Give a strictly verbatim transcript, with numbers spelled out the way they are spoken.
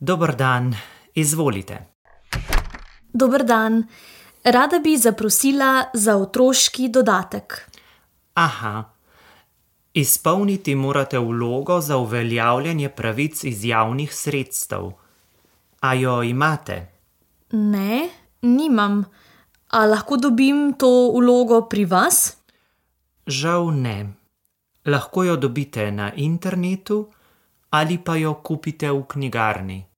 Dober dan, izvolite. Dober dan. Rada bi zaprosila za otroški dodatek. Aha. Izpolniti morate vlogo za uveljavljanje pravic iz javnih sredstev. A jo imate? Ne, nimam. A lahko dobim to vlogo pri vas? Žal ne. Lahko jo dobite na internetu ali pa jo kupite v knjigarni.